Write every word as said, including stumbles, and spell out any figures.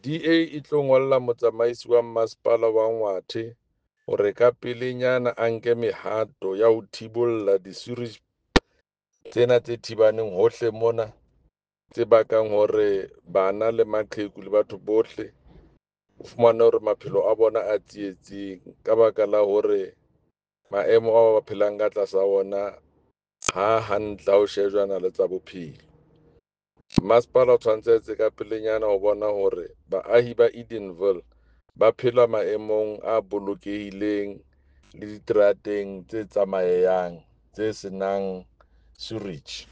D A e tlo ngolla motsamaisi wa masepala wa Ngwathe hore ka pelenyana a nke mehato ya ho thibolla di-sewerage tsena tse thibaneng hohle mona, tse bakang hore bana le maqheku le batho bohle o fumane hore maphelo a bona a tsietsing ka baka la hore maemo ao ba phelang ka tlasa ona ha hantle ha o shejwana le tsa bophelo. Masepala o tshwanetse a etse ka pelenyana ho bona hore baahi ba Edenville ba phela maemong a bolokehileng le diterateng tse tsamayehang tse senang sewerage.